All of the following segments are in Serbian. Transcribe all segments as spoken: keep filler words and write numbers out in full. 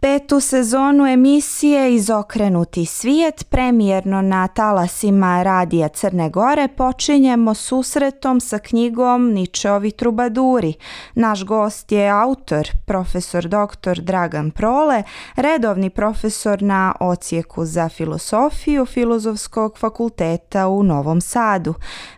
Petu sezonu emisije Izokrenuti svijet, premijerno na talasima Radija Crne Gore, počinjemo susretom sa knjigom Ničeovi trubaduri. Naš gost je autor, profesor doktor Dragan Prole, redovni profesor na Odsjeku za filosofiju Filozofskog fakulteta u Novom Sadu.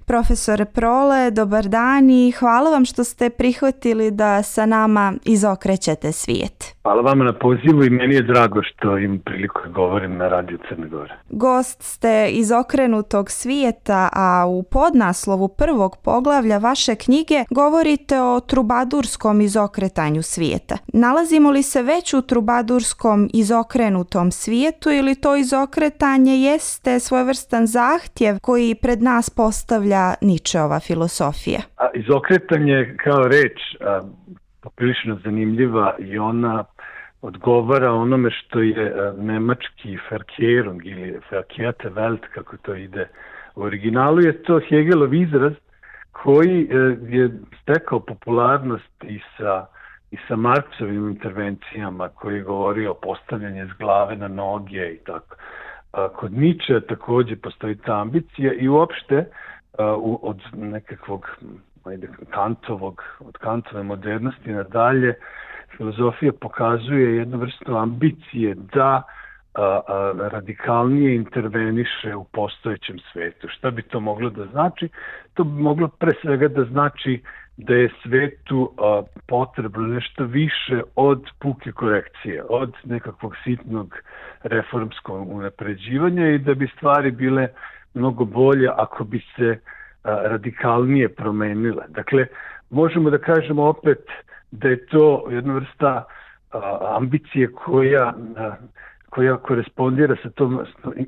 Profesore Prole, dobar dan i hvala vam što ste prihvatili da sa nama izokrećete svijet. Hvala vama na pozivu i meni je drago što im priliku govorim na Radiju Crne Gore. Gost ste Izokrenutog svijeta, a u podnaslovu prvog poglavlja vaše knjige govorite o trubadurskom izokretanju svijeta. Nalazimo li se već u trubadurskom izokrenutom svijetu ili to izokretanje jeste svojevrstan zahtjev koji pred nas postavlja Ničeova filosofija? A, izokretanje kao reč a, poprilično zanimljiva i ona odgovara onome što je a, nemački Verkehrung ili Verkehrte Welt, kako to ide u originalu, je to Hegelov izraz koji a, je stekao popularnost i sa, i sa Marksovim intervencijama, koji je govorio o postavljanju s glave na noge i tako. A, kod Ničea također postoji ta ambicija i uopšte Uh, od nekakvog ajde, Kantovog, od Kantove modernosti nadalje, filozofija pokazuje jednu vrstu ambicije da uh, uh, radikalnije interveniše u postojećem svetu. Šta bi to moglo da znači? To bi moglo pre svega da znači da je svetu uh, potrebno nešto više od puke korekcije, od nekakvog sitnog reformskog unapređivanja i da bi stvari bile mnogo bolje ako bi se a, radikalnije promenile. Dakle, možemo da kažemo opet da je to jedna vrsta a, ambicije koja, a, koja korespondira sa tom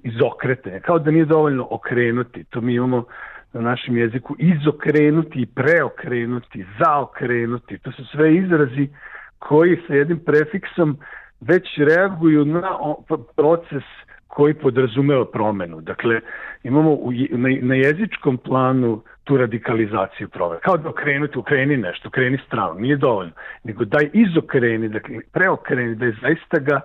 izokretanjem. Kao da nije dovoljno okrenuti. To mi imamo na našem jeziku izokrenuti, preokrenuti, zaokrenuti. To su sve izrazi koji sa jednim prefiksom već reaguju na proces koji podrazumeva promenu. Dakle, imamo u, na, na jezičkom planu tu radikalizaciju promene. Kao da okrenuti, okreni nešto, okreni stranu. Nije dovoljno. Nego daj izokreni, dakle, preokreni, da je zaista ga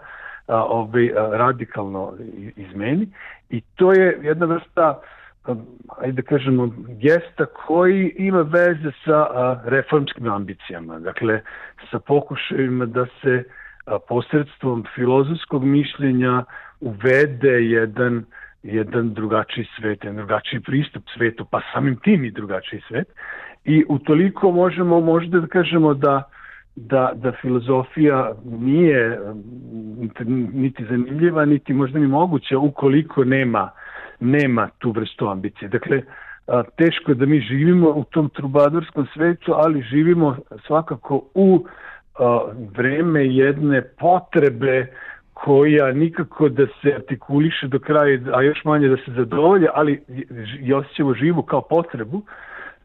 a, ovaj, a, radikalno izmeni. I to je jedna vrsta, a, ajde da kažemo, gesta koji ima veze sa a, reformskim ambicijama. Dakle, sa pokušajima da se a, posredstvom filozofskog mišljenja uvede jedan, jedan drugačiji svet, jedan drugačiji pristup svetu, pa samim tim i drugačiji svet. I utoliko možemo možda da kažemo da, da, da filozofija nije niti zanimljiva, niti možda ni moguća ukoliko nema, nema tu vrstu ambicije. Dakle, teško da mi živimo u tom trubadurskom svetu, ali živimo svakako u vreme jedne potrebe koja nikako da se artikuliše do kraja, a još manje da se zadovolje, ali je osjećamo živu kao potrebu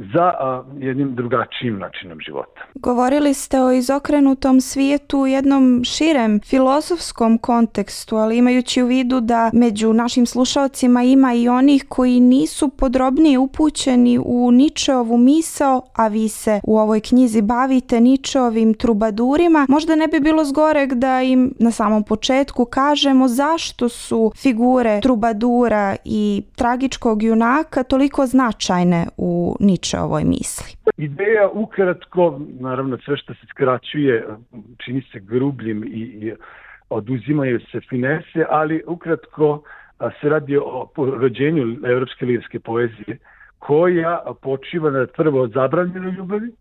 za a, jednim drugačijim načinom života. Govorili ste o izokrenutom svijetu u jednom širem filozofskom kontekstu, ali imajući u vidu da među našim slušalcima ima i onih koji nisu podrobnije upućeni u Ničeovu misao, a vi se u ovoj knjizi bavite Ničeovim trubadurima, možda ne bi bilo zgoreg da im na samom početku kažemo zašto su figure trubadura i tragičkog junaka toliko značajne u Ničeovu ovoj misli. Ideja ukratko, naravno sve što se skraćuje čini se grubljim i, i oduzimaju se finese, ali ukratko se radi o rođenju evropske lirske poezije koja počiva na prvo zabranjenoj ljubavi,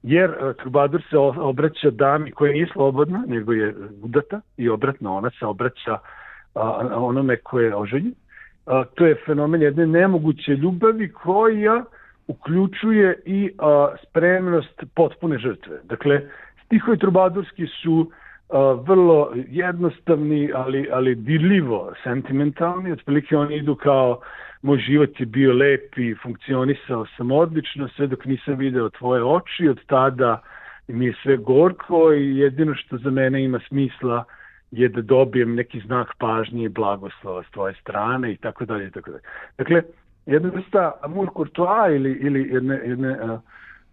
jer trubadur se obraća dami koja nije slobodna, nego je udata i obratno ona se obraća onome koje je oženjen. To je fenomen jedne nemoguće ljubavi koja uključuje i a, spremnost potpune žrtve. Dakle, stihovi trubadurski su a, vrlo jednostavni, ali, ali dirljivo sentimentalni. Otprilike oni idu kao moj život je bio lep i funkcionisao sam odlično, sve dok nisam video tvoje oči, od tada mi je sve gorko i jedino što za mene ima smisla je da dobijem neki znak pažnje i blagoslova s tvoje strane i tako dalje i tako dalje. Dakle, jedna vrsta amour courtois ili, ili jedne, jedne a,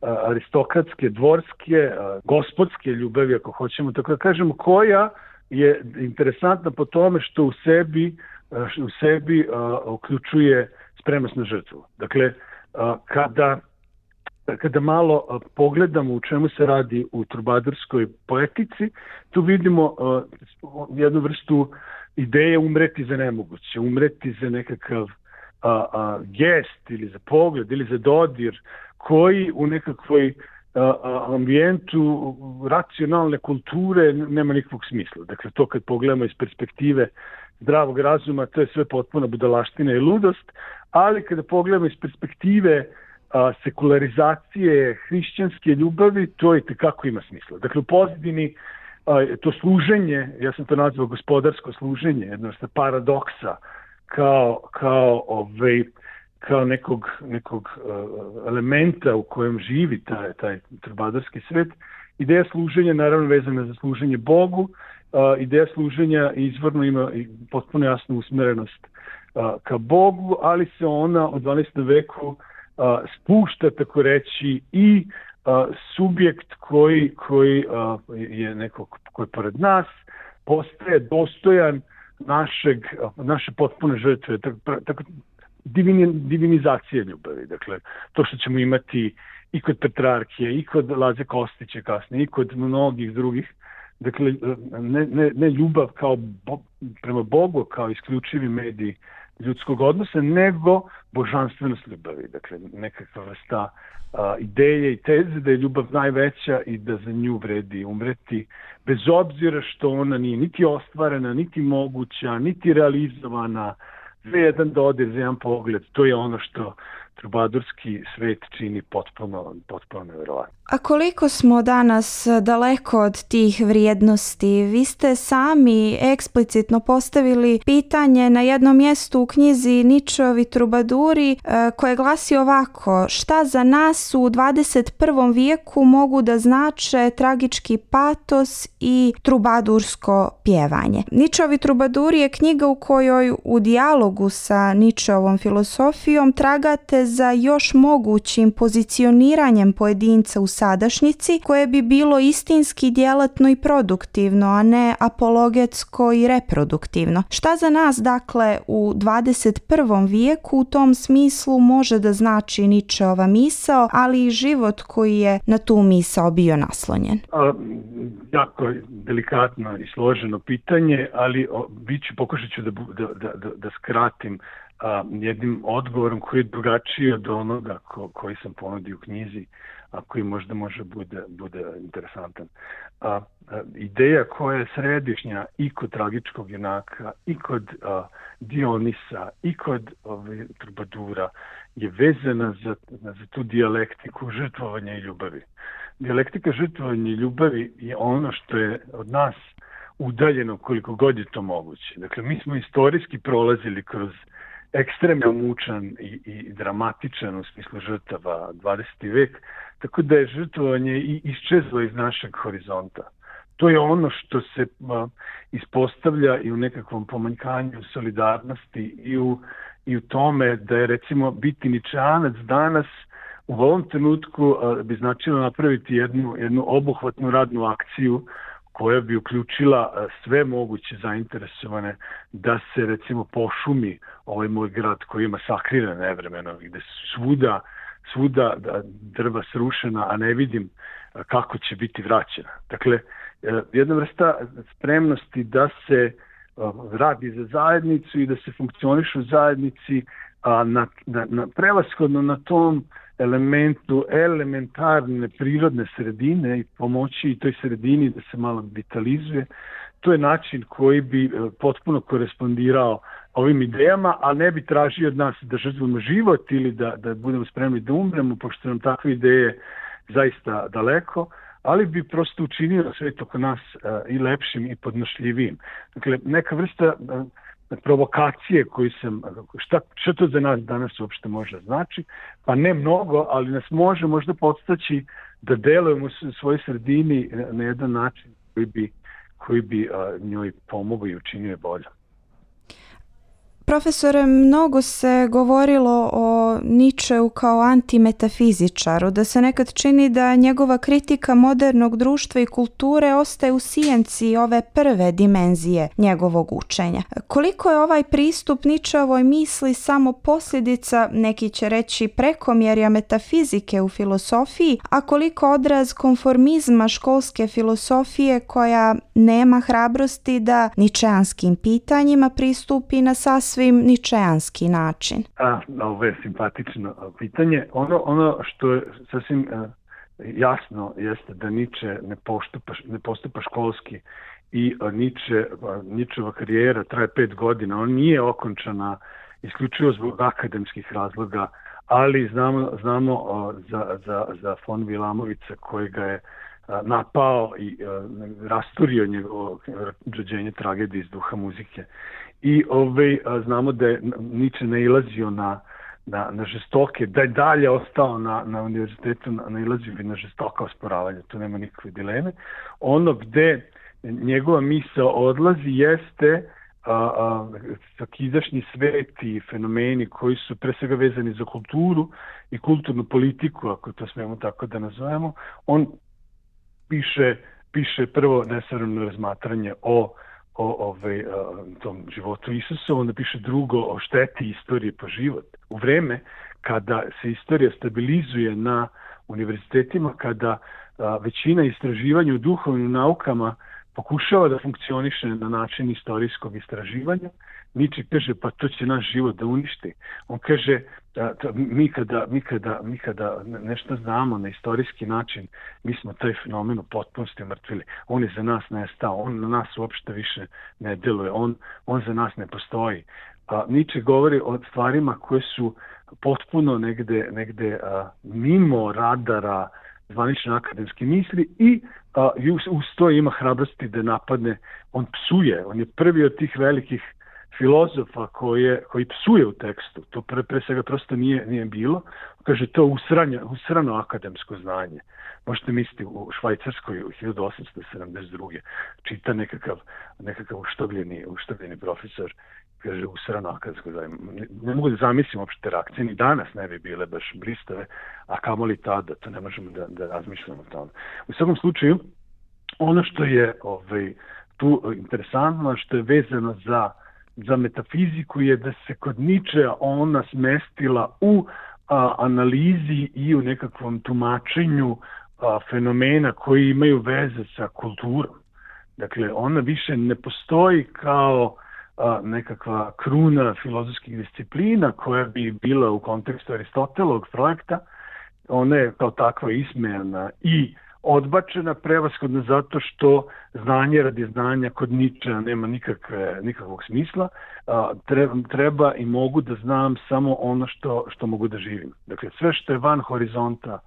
a, aristokratske, dvorske, a, gospodske ljubavi, ako hoćemo tako da kažemo, koja je interesantna po tome što u sebi, u sebi a, uključuje spremnost na žrtvu. Dakle, a, kada, kada malo a, pogledamo u čemu se radi u trubadurskoj poetici, tu vidimo a, jednu vrstu ideje umreti za nemoguće, umreti za nekakav a, a, gest ili za pogled ili za dodir koji u nekakvoj ambijentu racionalne kulture nema nikakvog smisla. Dakle, to kad pogledamo iz perspektive zdravog razuma, to je sve potpuna budalaština i ludost, ali kada pogledamo iz perspektive a, sekularizacije hrišćanske ljubavi, to i tekako ima smisla. Dakle, u pozadini a, to služenje, ja sam to nazvao gospodarsko služenje, jedna vrsta paradoksa, kao, kao ovaj, kao nekog, nekog uh, elementa u kojem živi taj, taj trubadurski svet. Ideja služenja naravno vezana za služenje Bogu, uh, ideja služenja izvorno ima potpuno jasnu usmerenost uh, ka Bogu, ali se ona u dvanaestom veku uh, spušta, tako reći, i uh, subjekt koji, koji uh, je neko koji je pored nas, postaje dostojan našeg, uh, naše potpune žrtve. Tako, tako Divini, divinizacije ljubavi. Dakle, to što ćemo imati i kod Petrarkije, i kod Laze Kostića kasnije, i kod mnogih drugih. Dakle, ne, ne, ne ljubav kao bo, prema Bogu, kao isključivi medij ljudskog odnosa, nego božanstvenost ljubavi. Dakle, nekakva vrsta a, ideje i teze da je ljubav najveća i da za nju vredi umreti, bez obzira što ona nije niti ostvarena, niti moguća, niti realizovana, za jedan dodir, za jedan pogled, to je ono što trubadurski svet čini potpuno, potpuno nevjerovatno. A koliko smo danas daleko od tih vrijednosti? Vi ste sami eksplicitno postavili pitanje na jednom mjestu u knjizi Ničovi trubaduri koje glasi ovako: šta za nas u dvadeset prvom vijeku mogu da znače tragički patos i trubadursko pjevanje? Ničovi trubaduri je knjiga u kojoj u dijalogu sa Ničovom filosofijom tragate za još mogućim pozicioniranjem pojedinca u sadašnjici koje bi bilo istinski djelatno i produktivno, a ne apologetsko i reproduktivno. Šta za nas, dakle, u dvadeset prvom vijeku u tom smislu može da znači Ničeova misao, ali i život koji je na tu misao bio naslonjen? A, jako delikatno i složeno pitanje, ali bit ću, pokušat ću da, da, da, da skratim a, jednim odgovorom koji je drugačiji od onoga ko, koji sam ponudio u knjizi, a koji možda može bude, bude interesantan. A, a, ideja koja je središnja i kod tragičkog junaka, i kod a, Dionisa, i kod ove, trubadura je vezana za, za tu dijalektiku žrtvovanja i ljubavi. Dijalektika žrtvovanja i ljubavi je ono što je od nas udaljeno koliko god je to moguće. Dakle, mi smo istorijski prolazili kroz ekstremno mučan i, i dramatičan u smislu žrtava dvadeseti vek, tako da je žrtvovanje i iščezlo iz našeg horizonta. To je ono što se a, ispostavlja i u nekakvom pomanjkanju solidarnosti i u, i u tome da je, recimo, biti ničanac danas u ovom trenutku a, bi značilo napraviti jednu, jednu obuhvatnu radnu akciju koja bi uključila sve moguće zainteresovane da se, recimo, pošumi ovaj moj grad koji je masakriran nevremeno, gde svuda, svuda drva srušena, a ne vidim kako će biti vraćena. Dakle, jedna vrsta spremnosti da se radi za zajednicu i da se funkcioniše u zajednici, a na, na, na prevashodno na tom elementu elementarne prirodne sredine i pomoći toj sredini da se malo vitalizuje, to je način koji bi potpuno korespondirao ovim idejama, a ne bi tražio od nas da žrtvujemo život ili da, da budemo spremni da umremo, pošto nam takve ideje zaista daleko, ali bi prosto učinio svet oko nas i lepšim i podnošljivijim. Dakle, neka vrsta provokacije koju sam, šta, šta to za nas danas uopšte može znači, pa ne mnogo, ali nas može možda podstaći da delujemo u svojoj sredini na jedan način koji bi, koji bi a, njoj pomogao i učinio je bolje. Profesore, mnogo se govorilo o Nietzscheu kao antimetafizičaru, da se nekad čini da njegova kritika modernog društva i kulture ostaje u sijenci ove prve dimenzije njegovog učenja. Koliko je ovaj pristup Nietzscheovoj misli samo posljedica, neki će reći, prekomjerja metafizike u filosofiji, a koliko odraz konformizma školske filosofije koja nema hrabrosti da ničeanskim pitanjima pristupi na sasvim ničeanski način? A, ovo je simpatično pitanje. Ono, ono što je sasvim uh, jasno jeste da Nietzsche ne postupa, ne postupa školski i uh, Nietzsche, uh, Nietzscheova karijera traje pet godina. On nije okončana isključivo zbog akademskih razloga, ali znamo, znamo uh, za, za, za von Wilamovića koji ga je napao i uh, rasturio njegovo rođenje tragedije iz duha muzike. I ovaj, znamo da je Nietzsche nailazio na, na, na žestoke, da je dalje ostao na, na univerzitetu, nailazio bi na žestoka osporavanja, tu nema nikakve dileme. Ono gde njegova misao odlazi jeste a, a, svakidašnji svet i fenomeni koji su pre svega vezani za kulturu i kulturnu politiku, ako to smemo tako da nazovemo. On piše, piše prvo nesavremeno razmatranje o o ovaj, tom životu Isusa, onda piše drugo o šteti istorije po život. U vreme kada se istorija stabilizuje na univerzitetima, kada a, većina istraživanja u duhovnim naukama pokušava da funkcioniše na način istorijskog istraživanja, Nietzsche kaže, pa to će naš život da uništi. On kaže, da, to, mi, kada, mi, kada, mi kada nešto znamo na istorijski način, mi smo taj fenomen u potpunosti mrtvili. On je za nas nestao, on na nas uopšte više ne deluje, on, on za nas ne postoji. A, Nietzsche govori o stvarima koje su potpuno negde, negde a, mimo radara zvanične akademske misli i a, uz to ima hrabrosti da napadne. On psuje, on je prvi od tih velikih filozofa koje, koji psuje u tekstu. To pre, pre svega prosto nije, nije bilo. Kaže, to usranja, usrano akademsko znanje. Možete misliti u Švajcarskoj u hiljadu osamsto sedamdeset druge čita nekakav, nekakav uštogljeni, uštogljeni profesor, kaže, usrano akademsko znanje. Ne, ne mogu da zamislim uopšte reakcije, ni danas ne bi bile baš blistave, a kamoli tada, to ne možemo da, da razmišljamo o tome. U svakom slučaju, ono što je ovaj, tu interesantno, što je vezano za za metafiziku je da se kod Nietzschea ona smestila u a, analizi i u nekakvom tumačenju a, fenomena koji imaju veze sa kulturom. Dakle, ona više ne postoji kao a, nekakva kruna filozofskih disciplina koja bi bila u kontekstu Aristotelovog projekta. Ona je kao takva ismejana i odbačena prevashodno zato što znanje radi znanja kod Nietzschea nema nikakve, nikakvog smisla. Treba, treba i mogu da znam samo ono što, što mogu da živim. Dakle, sve što je van horizonta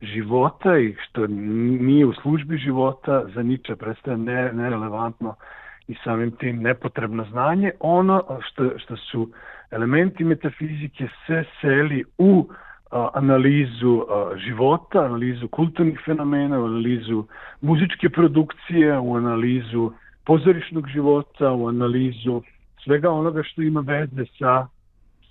života i što nije u službi života za Nietzschea predstavlja ne, nerelevantno i samim tim nepotrebno znanje. Ono što, što su elementi metafizike se seli u analizu života, analizu kulturnih fenomena, u analizu muzičke produkcije, u analizu pozorišnog života, u analizu svega onoga što ima veze sa,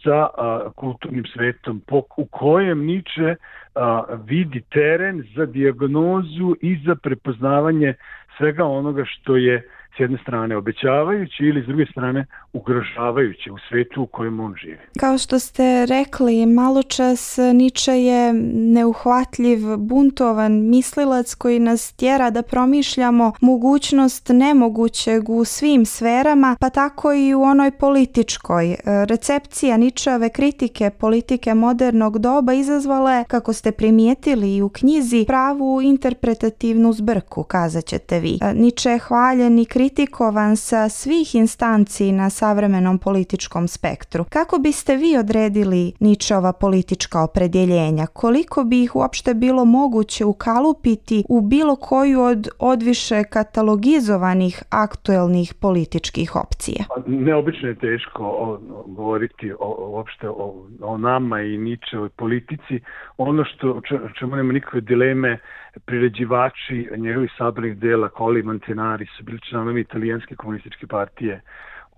sa a, kulturnim svetom, po, u kojem Nietzsche a, vidi teren za dijagnozu i za prepoznavanje svega onoga što je s jedne strane obećavajući ili s druge strane ugrožavajući u svetu u kojem on živi. Kao što ste rekli, maločas, Nietzsche je neuhvatljiv, buntovan mislilac koji nas tjera da promišljamo mogućnost nemogućeg u svim sferama, pa tako i u onoj političkoj. Recepcija Nietzscheove kritike politike modernog doba izazvala je, kako ste primijetili i u knjizi, pravu interpretativnu zbrku, kazat ćete vi. Nietzsche je hvaljen i kritikovan sa svih instanci na savremenom političkom spektru. Kako biste vi odredili Nietzscheova politička opredjeljenja? Koliko bi ih uopšte bilo moguće ukalupiti u bilo koju od odviše katalogizovanih aktuelnih političkih opcija? Neobično je teško o, o, govoriti o, uopšte o, o nama i Nietzscheovoj politici. Ono što čemu nema nikakve dileme, priređivači njegovih sabranih dela, Colli i Montanari, su bili članovi italijanske komunističke partije.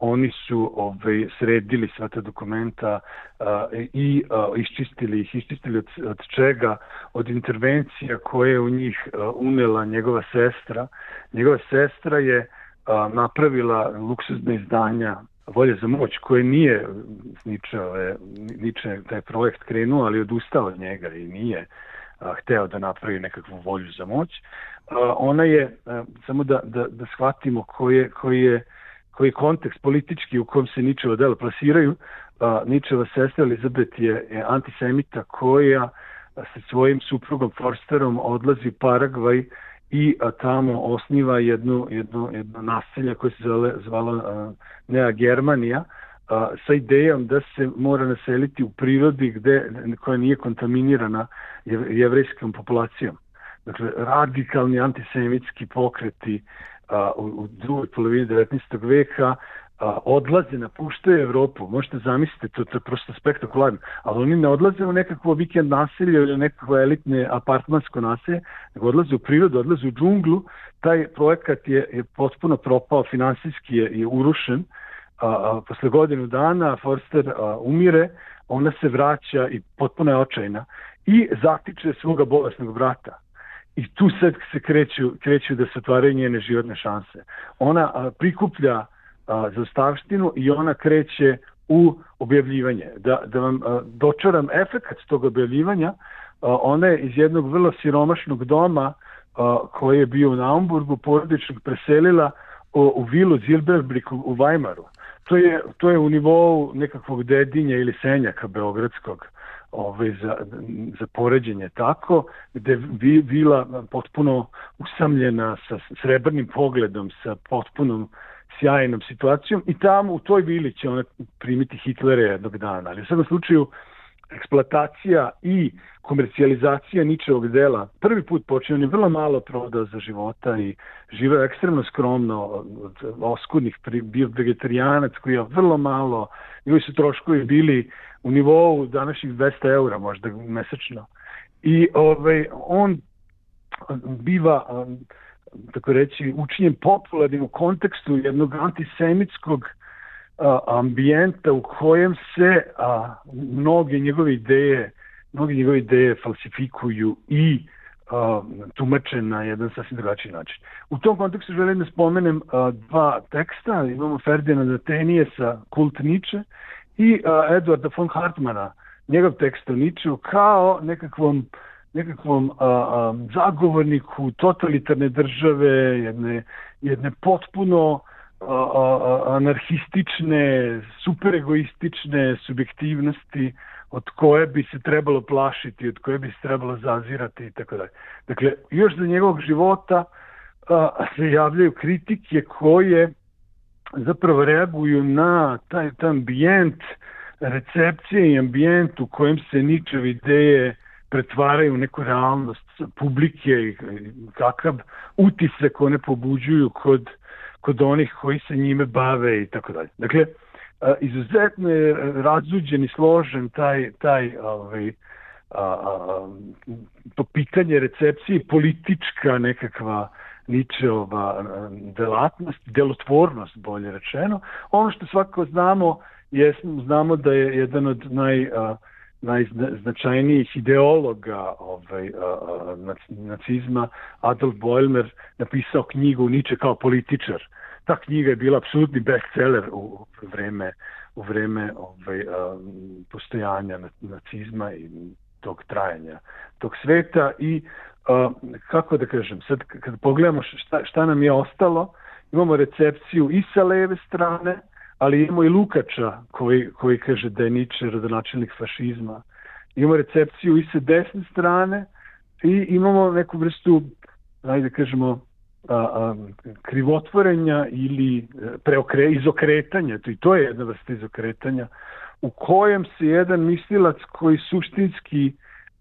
oni su ovaj, sredili sva ta dokumenta uh, i uh, iščistili ih, iščistili od, od čega, od intervencija koje je u njih uh, unela njegova sestra. Njegova sestra je uh, napravila luksuzne izdanja Volje za moć, koje nije Niče, Niče taj projekt krenuo, ali odustao od njega i nije a, hteo da napravi nekakvu volju za moć. A, ona je, a, samo da, da, da shvatimo koji je, koji je, koji je kontekst politički u kom se Ničeva dela plasiraju. A, Ničeva sestra Elizabeth je, je antisemita koja sa svojim suprugom Forsterom odlazi u Paragvaj i a, tamo osniva jednu, jednu, jedno naselje koje se zvala, zvala Nea Germanija, a, sa idejom da se mora naseliti u prirodi gde, koja nije kontaminirana jevrejskom populacijom. Dakle, radikalni antisemitski pokreti a, u, u drugoj polovini devetnaestog veka a, odlaze, napuštaju Evropu. Možete zamisliti, to, to je prosto spektakularno, ali oni ne odlaze u nekakvo vikend naselje ili nekakvo elitne apartmansko naselje, nego odlaze u prirodu, odlaze u džunglu. Taj projekat je, je potpuno propao, finansijski je, je urušen. A, a, posle godinu dana Forster a, umire, ona se vraća i potpuno je očajna i zatiče svoga bolesnog brata. I tu sad se kreću, kreću da se otvaraju njene životne šanse. Ona a, prikuplja a, zaostavštinu i ona kreće u objavljivanje. Da, da vam a, dočaram efekat tog objavljivanja, a, ona je iz jednog vrlo siromašnog doma a, koji je bio u Naumburgu, porodičnog, preselila u, u vilu Zilberbrück u, u Weimaru. To je, to je u nivou nekakvog Dedinja ili Senjaka beogradskog, ovaj, za, za poređenje tako, gde vi, vila potpuno usamljena sa srebrnim pogledom, sa potpunom sjajnom situacijom i tamo u toj vili će ona primiti Hitlera jednog dana. Ali u svakom slučaju eksploatacija i komercijalizacija Ničevog dela prvi put počeo, on je vrlo malo prodao za života i živeo ekstremno skromno, od oskudnih, bio vegetarijanac koji je vrlo malo, njegovi su troškovi bili u nivou današnjih dvesta eura možda mesečno. I ovaj, on biva, tako reći, učinjen popularnim u kontekstu jednog antisemitskog a, ambijenta u kojem se a, mnoge njegove ideje mnoge njegove ideje falsifikuju i a, tumače na jedan sasvim drugačiji način. U tom kontekstu želim da spomenem a, dva teksta. Imamo Ferdinanda Teniesa, Kult Niče, i a, Eduarda von Hartmana, njegov tekst o Ničeu, kao nekakvom, nekakvom a, a, zagovorniku totalitarne države, jedne, jedne potpuno a, a, anarhistične, superegoistične subjektivnosti od koje bi se trebalo plašiti, od koje bi se trebalo zazirati i tako dalje. Dakle, još za njegovog života a, se javljaju kritike koje zapravo reaguju na taj, taj ambijent, recepcije i ambijent u kojem se Ničeve ideje pretvaraju u neku realnost publike i kakav utisak one pobuđuju kod, kod onih koji se njime bave i tako dalje. Dakle, izuzetno je razuđen i složen taj, taj ovaj, a, a, to pitanje recepcije, politička nekakva Ničeova delatnost, delotvornost bolje rečeno. Ono što svakako znamo, je, znamo da je jedan od naj, a, najznačajnijih ideologa ovaj, a, a, nacizma, Adolf Bollmer, napisao knjigu Niče kao političar. Ta knjiga je bila apsolutni bestseller u vreme, u vreme ovaj, a, postojanja nacizma i tog trajanja tog sveta i a, kako da kažem, sad kad pogledamo šta, šta nam je ostalo, imamo recepciju i sa leve strane, ali imamo i Lukača koji, koji kaže da je Niče rodonačelnik fašizma. Imamo recepciju i sa desne strane i imamo neku vrstu, ajde kažemo, A, a, krivotvorenja ili preokre, izokretanja, to i to je jedna vrsta izokretanja, u kojem se jedan mislilac koji suštinski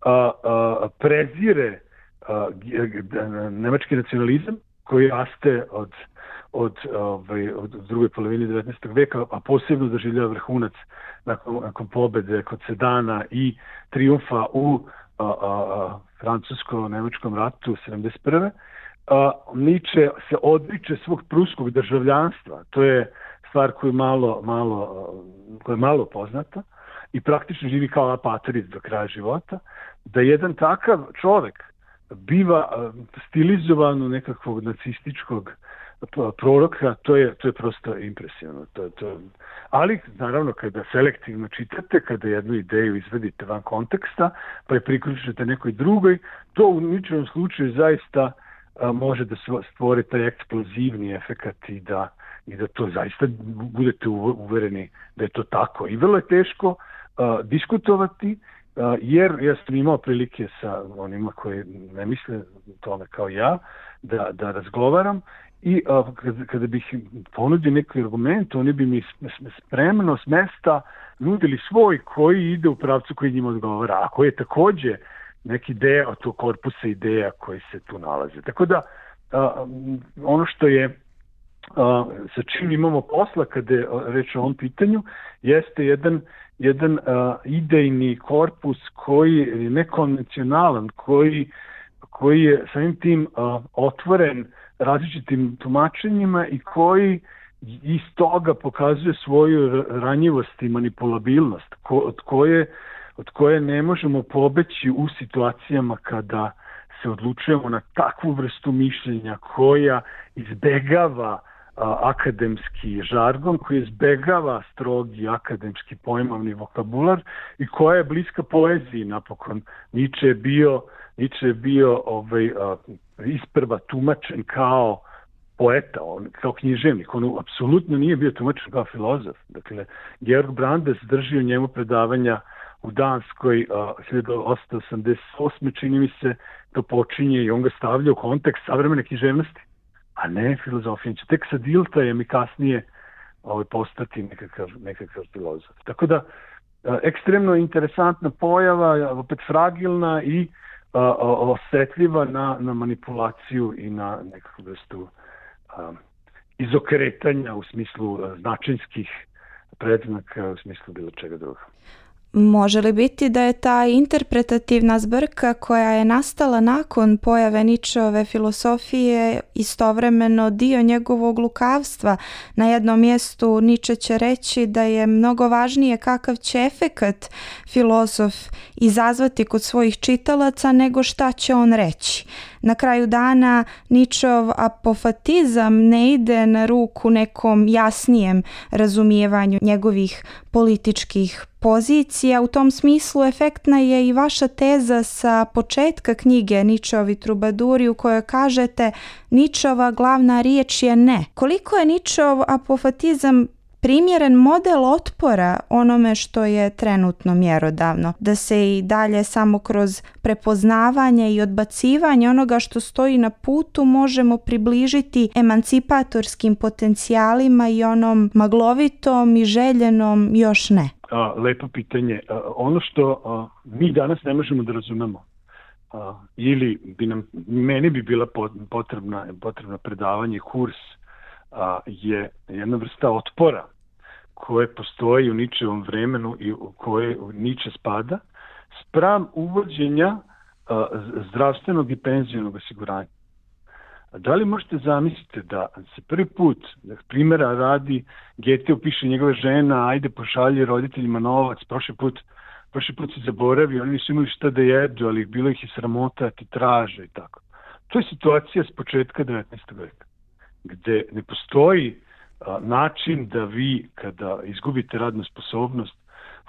a, a, prezire a, nemački nacionalizam, koji raste od, od, ovaj, od druge polovine devetnaestog veka, a posebno doživljava vrhunac nakon, nakon pobede kod Sedana i triumfa u a, a, a, francusko-nemačkom ratu sedamdeset prve. Uh, Niče se odriče svog pruskog državljanstva. To je stvar koju malo, malo, koja je malo poznata i praktično živi kao apatrid do kraja života, da jedan takav čovek biva stilizovan u nekakvog nacističkog proroka, to je, to je prosto impresivno. To, to. Ali, naravno, kada selektivno čitate, kada jednu ideju izvedite van konteksta, pa je priključite nekoj drugoj, to u ničem slučaju zaista a, može da stvori taj eksplozivni efekat i da, i da to zaista budete uvereni da je to tako. I vrlo je teško a, diskutovati, a, jer ja sam imao prilike sa onima koji ne misle tome kao ja, da, da razgovaram. I a, kada, kada bih ponudio neki argument, oni bi mi spremno s mesta nudili svoj koji ide u pravcu koji njima odgovara, a koji je takođe neki deo tog korpusa ideja koji se tu nalaze. Tako da a, ono što je a, sa čim imamo posla kada je reč o ovom pitanju jeste jedan, jedan a, idejni korpus koji je nekonvencionalan, koji, koji je samim tim a, otvoren različitim tumačenjima i koji iz toga pokazuje svoju ranjivost i manipulabilnost ko, od, koje, od koje ne možemo pobeći u situacijama kada se odlučujemo na takvu vrstu mišljenja koja izbegava a, akademski žargon, koji izbegava strogi akademski pojmovni vokabular i koja je bliska poeziji napokon. Nietzsche je bio, Nietzsche je bio ovaj, a, isprva tumačen kao poeta, on, kao književnik. On apsolutno nije bio tumačen kao filozof. Dakle, Georg Brandes držio njemu predavanja u Danskoj a, hiljadu osamsto osamdeset osme čini mi se, to počinje i on ga stavlja u kontekst savremene književnosti, a ne filozofije. Tek sa Diltajem i kasnije ovaj, postati nekakav, nekakav filozof. Tako da, a, ekstremno interesantna pojava, opet fragilna i a, osetljiva na, na manipulaciju i na nekakvu vrstu a, izokretanja u smislu a, značinskih predznaka, u smislu bilo čega druga. Može li biti da je ta interpretativna zbrka koja je nastala nakon pojave Nietzscheove filosofije istovremeno dio njegovog lukavstva? Na jednom mjestu Nietzsche će reći da je mnogo važnije kakav će efekat filozof izazvati kod svojih čitalaca nego šta će on reći. Na kraju dana Nietzscheov apofatizam ne ide na ruku nekom jasnijem razumijevanju njegovih političkih pozicija. U tom smislu efektna je i vaša teza sa početka knjige Nietzscheovi trubaduri u kojoj kažete Nietzscheova glavna riječ je ne. Koliko je Nietzscheov apofatizam primjeren model otpora onome što je trenutno mjerodavno, da se i dalje samo kroz prepoznavanje i odbacivanje onoga što stoji na putu možemo približiti emancipatorskim potencijalima i onom maglovitom i željenom još ne? A, lepo pitanje. A, ono što a, mi danas ne možemo da razumemo a, ili bi nam, meni bi bila potrebna, potrebna predavanje, kurs, a, je jedna vrsta otpora koje postoji u Nietzscheovom vremenu i u koje Nietzsche spada spram uvođenja a, zdravstvenog i penzionog osiguranja. Da li možete zamisliti da se prvi put, da primjera radi, Goethe upiše njegove žena, ajde pošalje roditeljima novac, prošli put, prošli put se zaboravio, oni nisu imali šta da jedu, ali bilo ih je sramota, ti traže i tako. To je situacija s početka devetnaestog veka, gde ne postoji a, način da vi, kada izgubite radnu sposobnost,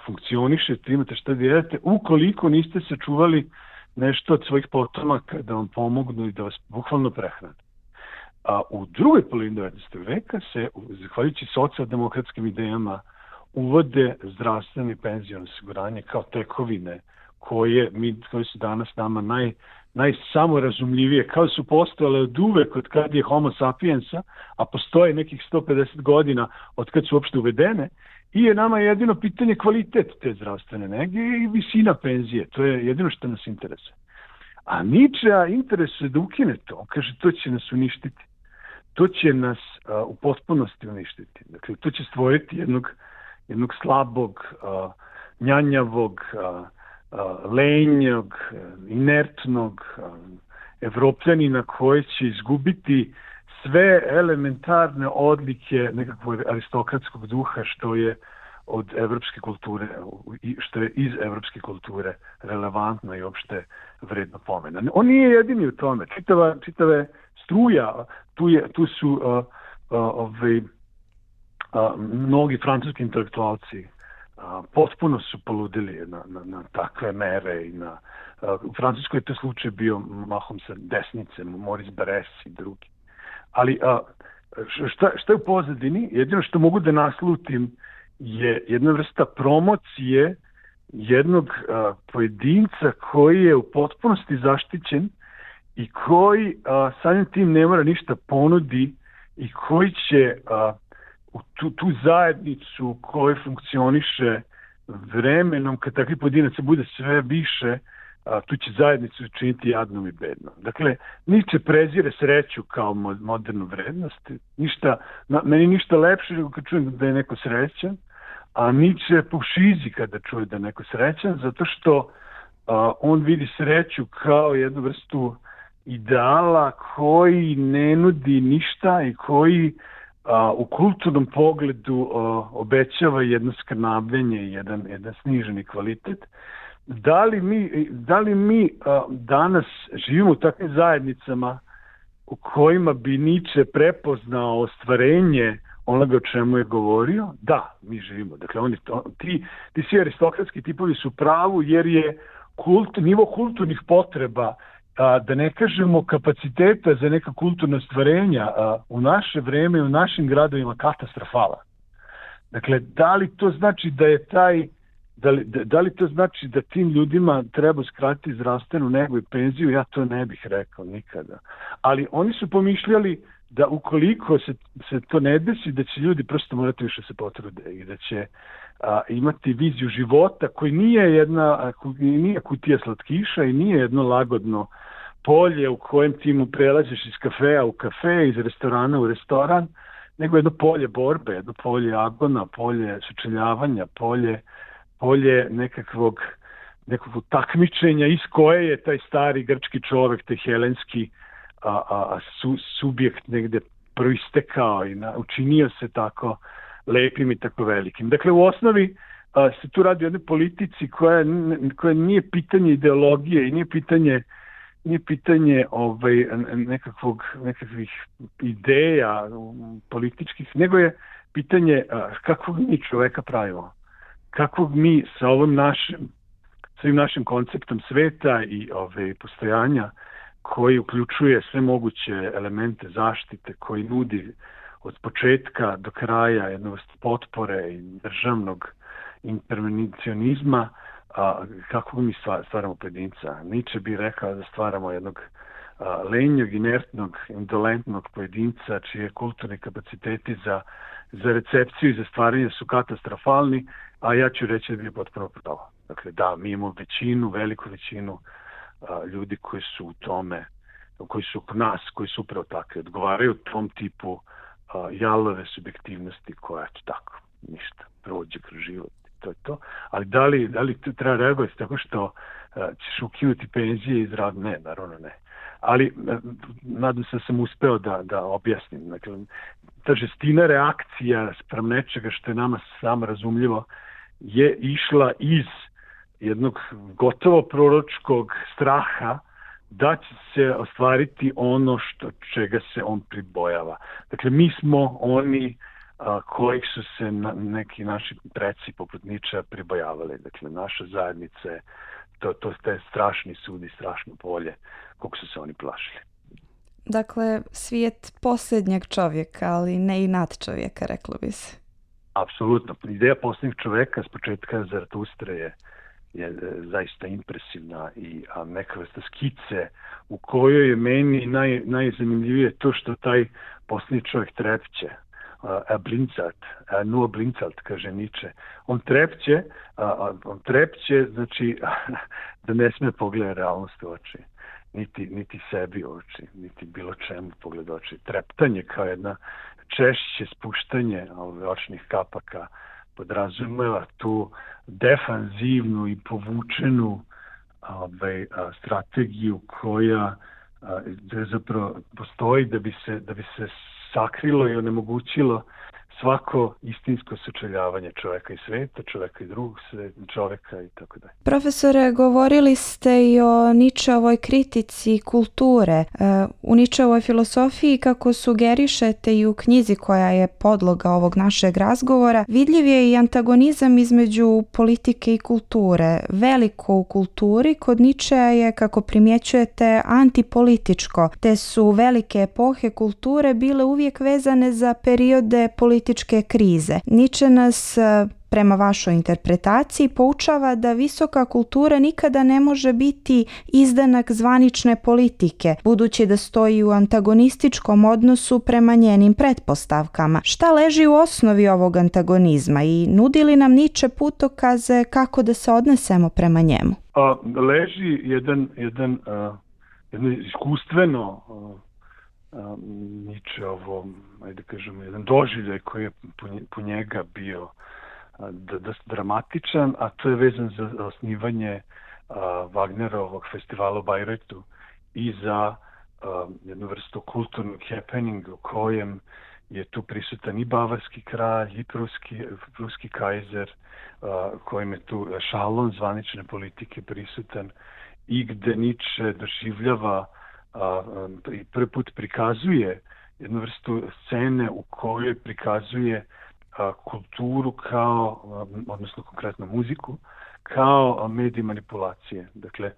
funkcionišete, imate šta da jedete, ukoliko niste sačuvali nešto od svojih potomaka da vam pomognu i da vas bukvalno prehrane. A u drugoj polovini devetnaestog veka se, zahvaljujući socijaldemokratskim idejama, uvode zdravstveno i penziono osiguranje kao tekovine koje, mi, koje su danas nama naj, najsamorazumljivije, kao su postojale od uvek od kad je homo sapiensa, a postoje nekih sto pedeset godina od kad su uopšte uvedene, i je nama jedino pitanje kvalitet te zdravstvene nege i visina penzije. To je jedino što nas interesuje. A Nietzschea interesuje da ukine to. On kaže, to će nas uništiti. To će nas a, u potpunosti uništiti. Dakle, to će stvoriti jednog, jednog slabog, a, njanjavog, a, a, lenjog, a, inertnog a, evropljanina koji će izgubiti sve elementarne odlike nekakvog aristokratskog duha što je od evropske kulture, što je iz evropske kulture relevantno i uopšte vredno pomena. On nije jedini u tome. Čitava, čitave struja, tu, je, tu su uh, uh, ovaj, uh, mnogi francuski intelektualci uh, potpuno su poludili na, na, na takve mere i na uh, u Francuskoj je to slučaj bio mahom sa desnice, Maurice Barrès i drugi. Ali uh, šta, šta je u pozadini? Jedino što mogu da naslutim je jedna vrsta promocije jednog a, pojedinca koji je u potpunosti zaštićen i koji a, samim tim ne mora ništa ponudi i koji će a, u tu, tu zajednicu koji funkcioniše vremenom, kad takvi pojedinaca bude sve više, a, tu će zajednicu činiti jadnom i bednom. Dakle, Nietzsche prezire sreću kao modernu vrednost. Ništa, na, meni ništa lepše nego kad čujem da je neko srećan, a Nietzsche pušizi kada čuje da je neko srećan, zato što a, on vidi sreću kao jednu vrstu ideala koji ne nudi ništa i koji a, u kulturnom pogledu a, obećava jedno skrnavljenje i jedan, jedan sniženi kvalitet. Da li mi, da li mi a, danas živimo u takvim zajednicama u kojima bi Nietzsche prepoznao ostvarenje onoga o čemu je govorio? Da, mi živimo. Dakle, oni, ti, ti svi aristokratski tipovi su pravu jer je kult, nivo kulturnih potreba, a, da ne kažemo kapaciteta za neka kulturna stvarenja a, u naše vreme, u našim gradovima katastrofala. Dakle, da li to znači da je taj Da li, da, da li to znači da tim ljudima treba skratiti zdravstvenu negu i penziju? Ja to ne bih rekao nikada. Ali oni su pomišljali da ukoliko se, se to ne desi, da će ljudi prosto morati više se potrude i da će a, imati viziju života koji nije jedna, nije kutija slatkiša i nije jedno lagodno polje u kojem ti mu prelaziš iz kafea u kafe, iz restorana u restoran, nego jedno polje borbe, jedno polje agona, polje sučeljavanja, polje polje nekakvog, nekakvog takmičenja iz koje je taj stari grčki čovek, taj helenski a, a, su, subjekt negde proistekao i na, učinio se tako lepim i tako velikim. Dakle, u osnovi a, se tu radi o jednoj politici koja, koja nije pitanje ideologije i nije pitanje, nije pitanje ovaj, nekakvog, nekakvih ideja političkih, nego je pitanje a, kakvog mi čoveka pravimo. Kakvog mi sa ovom našim, svim našim konceptom sveta i ove postojanja koji uključuje sve moguće elemente zaštite, koji nudi od početka do kraja jednu vrstu potpore i državnog intervencionizma, a, kako mi stvaramo pojedinca. Nietzsche bi rekao da stvaramo jednog a, lenjog, inertnog, indolentnog pojedinca čije kulturni kapaciteti za, za recepciju i za stvaranje su katastrofalni, a ja ću reći da bi je potpuno pravo. Dakle, da, mi imamo većinu, veliku većinu a, ljudi koji su u tome, koji su oko nas, koji su upravo takvi, odgovaraju tom tipu a, jalove subjektivnosti koja će tako, ništa, prođe kroz život. To je to. Ali da li, da li treba reagovati tako što a, ćeš ukinuti penzije iz rada? Ne, naravno ne. Ali a, nadam se da sam uspeo da, da objasnim. Dakle, ta žestina reakcija sprem nečega što je nama samo razumljivo je išla iz jednog gotovo proročkog straha da će se ostvariti ono što čega se on pribojava. Dakle, mi smo oni a, kojih su se na, neki naši preci poput Nietzschea pribojavali. Dakle, naša zajednica je to, to je strašni sud i strašno polje koliko su se oni plašili. Dakle, svijet posljednjeg čovjeka, ali ne i nadčovjeka, reklo bi se. Apsolutno. Ideja posljednjeg čovjeka s početka Zaratustre je, je zaista impresivna i a, neka vrsta skice u kojoj je meni naj, najzanimljivije to što taj posljednji čovjek trepće. A blincat, a nur blincat, kaže Nietzsche. On trepće, a, on trepće, znači da ne sme pogledati realnost u oči. Niti, niti sebi u oči, niti bilo čemu pogled oči. Treptanje kao jedna češće spuštanje ove očnih kapaka podrazumeva tu defanzivnu i povučenu ove, a, strategiju koja da zapravo postoji da bi se, da bi se sakrilo i onemogućilo svako istinsko sučeljavanje čoveka i sveta, čoveka i drugog sveta, čoveka i tako dalje. Profesore, govorili ste i o Nietzscheovoj kritici kulture. U Nietzscheovoj filosofiji, kako sugerišete i u knjizi koja je podloga ovog našeg razgovora, vidljiv je i antagonizam između politike i kulture. Veliko u kulturi kod Nietzschea je, kako primjećujete, antipolitičko, te su velike epohe kulture bile uvijek vezane za periode političke krize. Nietzsche nas, prema vašoj interpretaciji, poučava da visoka kultura nikada ne može biti izdanak zvanične politike, budući da stoji u antagonističkom odnosu prema njenim pretpostavkama. Šta leži u osnovi ovog antagonizma i nudi li nam Nietzsche putokaze kako da se odnesemo prema njemu? A, leži jedan, jedan, a, jedno iskustveno a, Nietzscheovo, ajde kažemo, jedan doživljaj koji je po njega bio dosta dramatičan, a to je vezan za osnivanje a, Wagnerovog festivala u Bajretu i za a, jednu vrstu kulturnog happeninga u kojem je tu prisutan i bavarski kralj, i pruski, pruski kajzer, a, kojem je tu šalon zvanične politike prisutan i gde Nietzsche doživljava a, i prvi put prikazuje jednu vrstu scene u kojoj prikazuje a, kulturu kao, a, odnosno konkretno muziku, kao medij manipulacije. Dakle,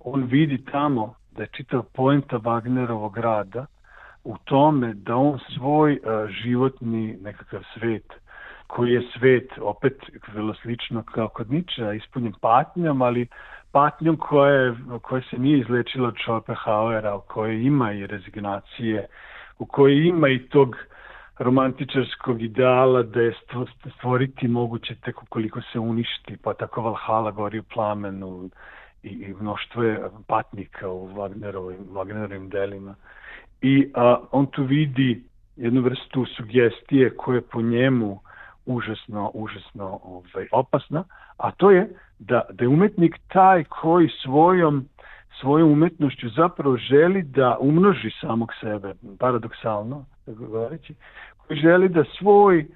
on vidi tamo da je čitav poenta Wagnerovog rada u tome da on svoj a, životni nekakav svet, koji je svet, opet vrlo slično kao kod Nietzschea, ispunjen patnjom, ali patnjom koja, koja se nije izlečila od Schopenhauera, u kojoj ima i rezignacije, u kojoj ima i tog romantičarskog ideala da je stvoriti moguće tek ukoliko se uništi, pa tako Valhalla gori u plamenu i, i mnoštvo je patnika u Wagnerovim, Wagnerovim delima. I a, on tu vidi jednu vrstu sugestije koja je po njemu užasno, užasno ovaj, opasna, a to je da, da je umetnik taj koji svojom, svojom umetnošću zapravo želi da umnoži samog sebe, paradoksalno, tako govoreći, koji želi da svoj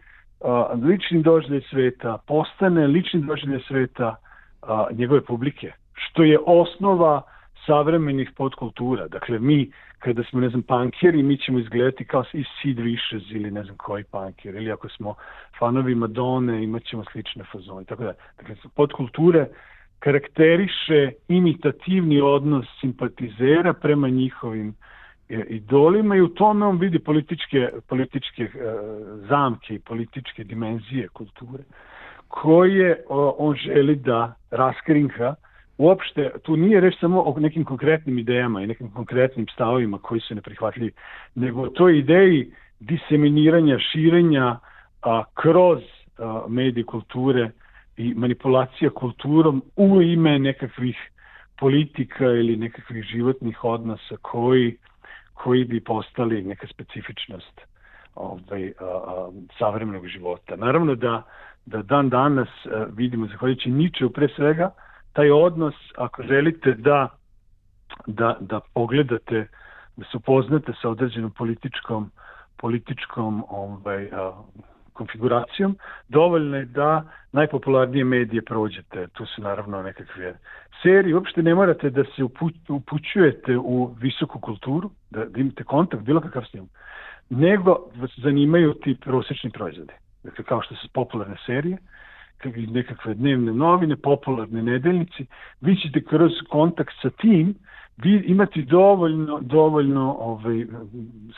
a, lični doživljaj sveta postane lični doživljaj sveta a, njegove publike, što je osnova savremenih podkultura. Dakle, mi, kada smo, ne znam, punkeri, mi ćemo izgledati kao i Sid Vicious ili ne znam koji punker, ili ako smo fanovi Madone, imat ćemo slične fazone, tako da. Dakle, podkulture karakteriše imitativni odnos simpatizera prema njihovim idolima i u tome on vidi političke, političke uh, zamke i političke dimenzije kulture, koje uh, on želi da raskrinka. Uopšte, tu nije reč samo o nekim konkretnim idejama i nekim konkretnim stavovima koji su neprihvatljivi, nego o toj ideji diseminiranja, širenja a, kroz a, medije kulture i manipulacija kulturom u ime nekakvih politika ili nekakvih životnih odnosa koji, koji bi postali neka specifičnost ovaj, a, a, savremenog života. Naravno da, da dan danas a, vidimo, zahvaljujući Nietzscheu pre svega, taj odnos, ako želite da, da, da pogledate, da se upoznate sa određenom političkom, političkom ovaj, a, konfiguracijom, dovoljno je da najpopularnije medije prođete. Tu su naravno nekakve serije. Uopšte ne morate da se upućujete u visoku kulturu, da, da imate kontakt, bilo kakav s njom, nego vas zanimaju ti prosječni proizvodi. Dakle, kao što su popularne serije, nekakve dnevne novine, popularne nedeljnici, vi ćete kroz kontakt sa tim vi imati dovoljno, dovoljno ovaj,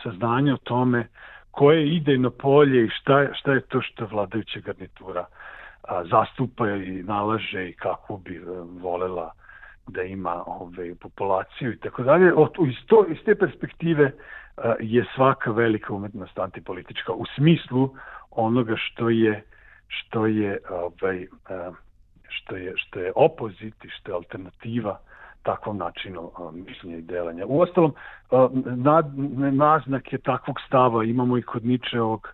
saznanja o tome koje je idejno polje i šta, šta je to što vladajuća garnitura a, zastupa i nalaže i kako bi a, volela da ima ovaj, populaciju i tako dalje. Iz, to, iz te perspektive a, je svaka velika umetnost antipolitička u smislu onoga što je što je ovaj što je što je opozit i što je alternativa takvom načinu mišljenja i delanja. Uostalom, naznake takvog stava imamo i kod Nietzscheovog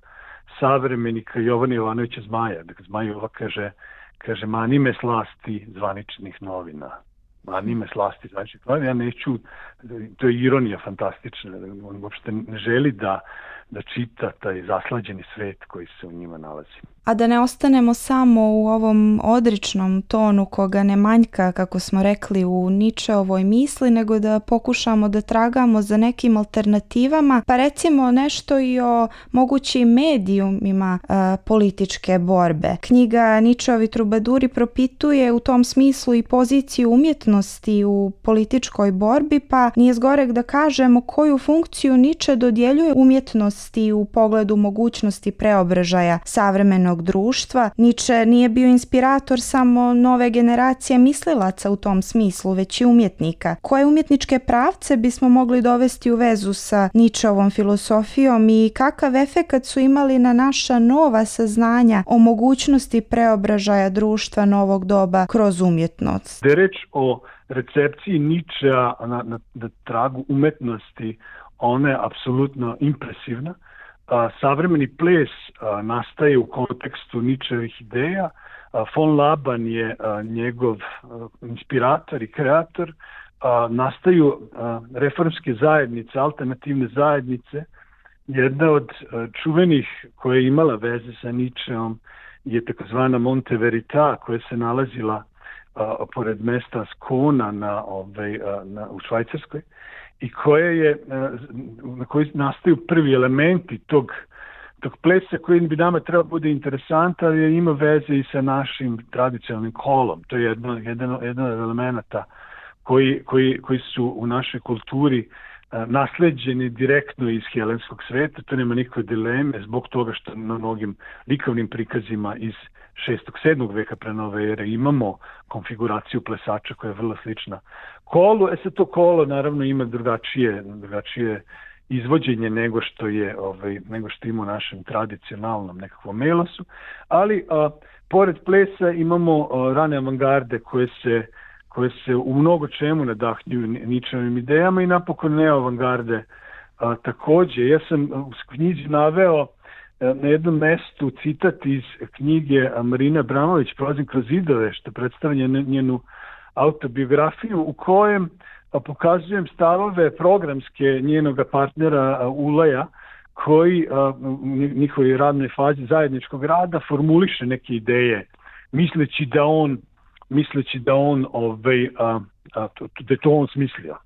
savremenika Jovana Jovanovića Zmaja. Dakle, Zmaj Jova kaže, kaže mani me slasti zvaničnih novina. a nime slasti, znači, ja neću, to je ironija fantastična, on uopšte ne želi da, da čita taj zaslađeni svet koji se u njima nalazi. A da ne ostanemo samo u ovom odričnom tonu koga ne manjka, kako smo rekli, u Ničeovoj misli, nego da pokušamo da tragamo za nekim alternativama, pa recimo nešto i o mogućim medijumima e, političke borbe. Knjiga Ničeovi trubaduri propituje u tom smislu i poziciju umjetnosti u političkoj borbi, pa nije zgorek da kažemo koju funkciju Niče dodjeljuje umjetnosti u pogledu mogućnosti preobražaja savremenog društva. Niče nije bio inspirator samo nove generacije mislilaca u tom smislu, već i umjetnika. Koje umjetničke pravce bismo mogli dovesti u vezu sa Ničeovom filosofijom i kakav efekat su imali na naša nova saznanja o mogućnosti preobražaja društva novog doba kroz umjetnost? Da je reč o recepciji Ničea na, na, na tragu umetnosti, ona je apsolutno impresivna. A, savremeni ples a, nastaje u kontekstu Ničevih ideja. A, von Laban je a, njegov a, inspirator i kreator. A, nastaju a, reformske zajednice, alternativne zajednice. Jedna od a, čuvenih koja je imala veze sa Ničeom je takozvana Monte Verita, koja se nalazila a, pored mesta Skona na, ovaj, a, na, u Švajcarskoj, i koje je, na koji nastaju prvi elementi tog, tog plesa koji bi nama treba bude interesantan, jer ima veze i sa našim tradicionalnim kolom. To je jedno, jedno, jedno od elementa koji, koji, koji su u našoj kulturi nasleđeni direktno iz helenskog sveta. To nema nikakve dileme zbog toga što na mnogim likovnim prikazima iz šestog sedmog veka pre nove ere imamo konfiguraciju plesača koja je vrlo slična kolu. E sad to kolo naravno ima drugačije, drugačije izvođenje nego što je ovaj, nego što ima u našem tradicionalnom nekakvom melosu, ali a, pored plesa imamo a, rane avangarde koje se koje se u mnogo čemu nadahnjuju Ničevim idejama i napokon neoavangarde a, takođe. Ja sam u knjizi naveo a, na jednom mestu citat iz knjige Marine Abramović Prolazim kroz zidove, što predstavlja njenu autobiografiju, u kojem a, pokazujem stavove programske njenog partnera a, Ulaja, koji a, u njihovoj radnoj fazi zajedničkog rada formuliše neke ideje, misleći da on misleći da on ovaj, a, a, da je to on smislio.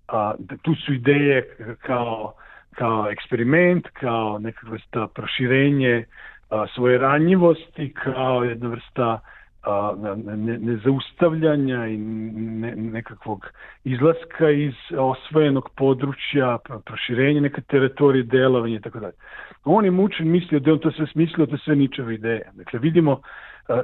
A, da tu su ideje kao, kao eksperiment, kao neka vrsta proširenje a, svoje ranjivosti, kao jedna vrsta a, ne, nezaustavljanja i ne, nekakvog izlaska iz osvojenog područja, proširenje neke teritorije, delovanje i tako dalje. On je mučen mislio da on to sve smislio, to sve Ničeve ideje. Dakle, vidimo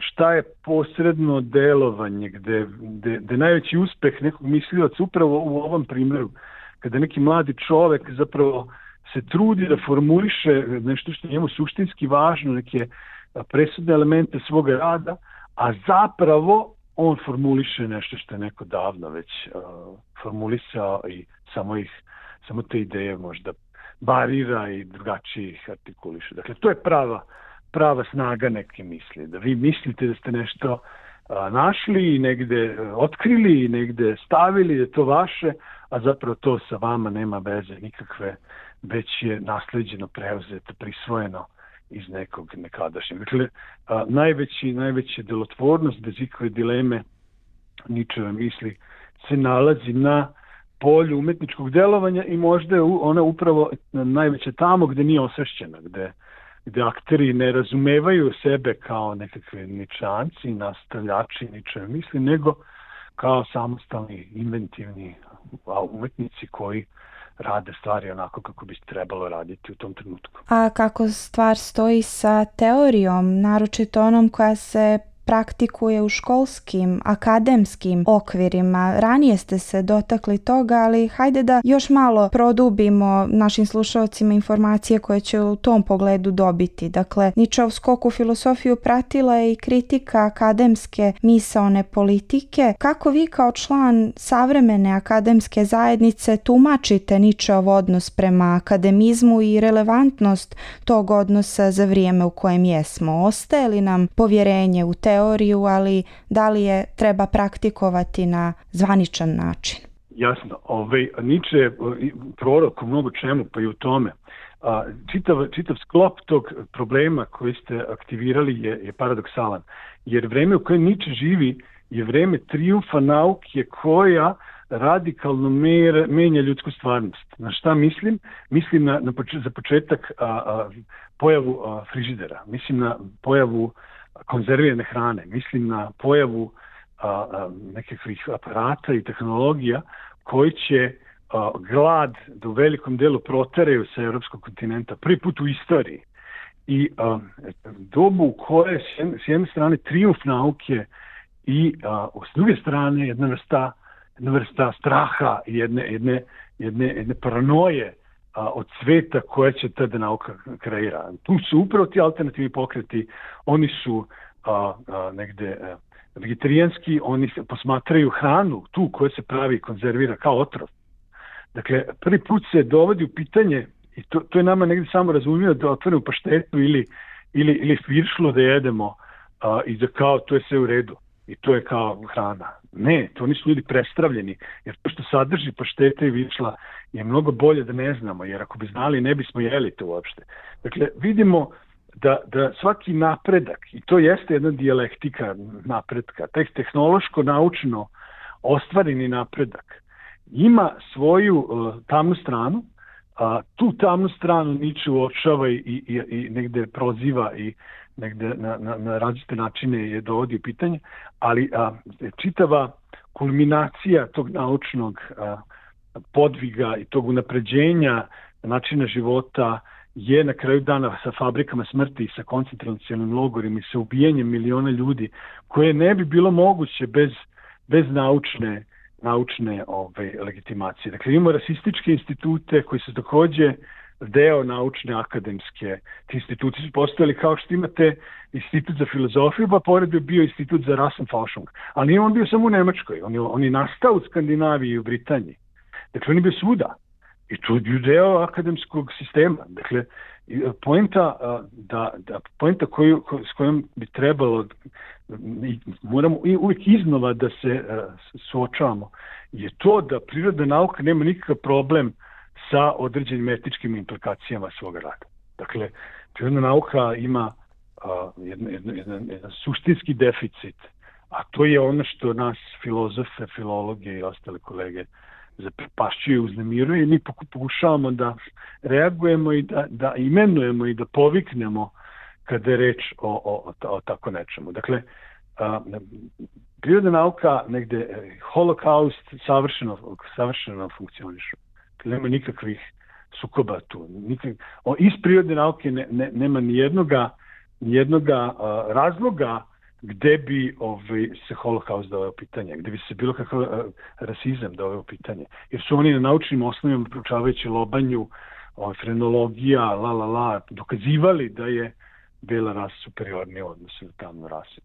šta je posredno delovanje, gde, gde, gde najveći uspeh nekog mislioca upravo u ovom primjeru, kada neki mladi čovek zapravo se trudi da formuliše nešto što je njemu suštinski važno, neke presudne elemente svoga rada, a zapravo on formuliše nešto što je neko davno već uh, formulisao i samo ih, samo te ideje možda barira i drugačije ih artikuliše. Dakle, to je prava prava snaga neke misli, da vi mislite da ste nešto a, našli i negde otkrili i negde stavili, da je to vaše, a zapravo to sa vama nema veze nikakve, već je nasleđeno, preuzeto, prisvojeno iz nekog nekadašnjeg. Dakle, a, najveći, najveća delotvornost, bez ikakve dileme Ničeve misli, se nalazi na polju umetničkog delovanja i možda je ona upravo najveća tamo gde nije osvešćena, gde gde akteri ne razumevaju sebe kao nekakve ničanci, nastavljači Ničeve misli, nego kao samostalni, inventivni umetnici koji rade stvari onako kako bi trebalo raditi u tom trenutku. A kako stvar stoji sa teorijom, naročito onom koja se praktikuje u školskim, akademskim okvirima? Ranije ste se dotakli toga, ali hajde da još malo produbimo našim slušalcima informacije koje će u tom pogledu dobiti. Dakle, Ničeov skok u filosofiju pratila je i kritika akademske misaone politike. Kako vi kao član savremene akademske zajednice tumačite Ničeov odnos prema akademizmu i relevantnost tog odnosa za vrijeme u kojem jesmo? Ostaje li nam povjerenje u te teoriju, ali da li je treba praktikovati na zvaničan način? Jasno, ovaj, Nietzsche je prorok u mnogo čemu, pa i u tome. A, čitav, čitav sklop tog problema koji ste aktivirali je, je paradoksalan. Jer vreme u kojem Nietzsche živi je vreme trijumfa nauke koja radikalno mer, menja ljudsku stvarnost. Na šta mislim? Mislim na, na poč, za početak a, a, pojavu a, frižidera, mislim na pojavu konzervirane hrane, mislim na pojavu a, a, nekakvih aparata i tehnologija koji će a, glad do velikom delu proteraju sa evropskog kontinenta. Prvi put u istoriji. I a, dobu u kojoj s jedne, s jedne strane trijumf nauke i a, s druge strane jedna vrsta jedna vrsta straha i jedne, jedne, jedne, jedne paranoje a, od sveta koja će tada nauka kreira. Tu su upravo ti alternativni pokreti, oni su a, a, negde a, vegetarijanski, oni se posmatraju hranu, tu koja se pravi i konzervira kao otrov. Dakle, prvi put se dovodi u pitanje, i to, to je nama negde samo razumio, da otvorimo paštetu ili, ili, ili firšlo da jedemo a, i da kao to je sve u redu. I to je kao hrana. Ne, to nisu ljudi prestravljeni, jer to što sadrži pašteta i višla je mnogo bolje da ne znamo, jer ako bi znali ne bismo jeli to uopšte. Dakle, vidimo da, da svaki napredak, i to jeste jedna dijalektika napretka, taj tehnološko-naučno ostvareni napredak, ima svoju uh, tamnu stranu, a tu tamnu stranu Nietzsche uočava i, i, i negde proziva i negde na, na, na različite načine je dovodi u pitanje, ali a, čitava kulminacija tog naučnog a, podviga i tog unapređenja načina života je na kraju dana sa fabrikama smrti, sa koncentracionim logorima i sa ubijanjem miliona ljudi, koje ne bi bilo moguće bez, bez naučne, naučne ove, legitimacije. Dakle, imamo rasističke institute koji su takođe deo naučne akademske. Ti instituti su postojali kao što imate institut za filozofiju, pa pored bi bio institut za Rassenforschung. Ali nije on bio samo u Nemačkoj. On je, on je nastao u Skandinaviji i u Britaniji. Dakle, on je bio svuda. I to je deo akademskog sistema. Dakle, poenta, da, da, poenta koju, s kojom bi trebalo, i moramo i uvijek iznova da se suočavamo, je to da prirodna nauka nema nikakav problem sa određenim etičkim implikacijama svoga rada. Dakle, prirodna nauka ima a, jedan, jedan, jedan, jedan suštinski deficit, a to je ono što nas filozofe, filologe i ostale kolege zaprepašćuje, uznemiruje i mi pokušavamo da reagujemo i da, da imenujemo i da poviknemo kada je reč o, o, o, o tako nečemu. Dakle, a, prirodna nauka negde, holokaust savršeno, savršeno funkcionišu. Nema nikakvih sukoba tu. Nikak... O, iz prirodne nauke ne, ne, nema nijednoga, nijednoga a, razloga gde bi ovaj, se holokaust doveo u pitanje, gde bi se bilo kakav a, rasizam doveo u pitanje. Jer su oni na naučnim osnovima, proučavajući lobanju, ovaj, frenologija, la la la, dokazivali da je bela rasa superiornija u odnosu na tamnu rasu.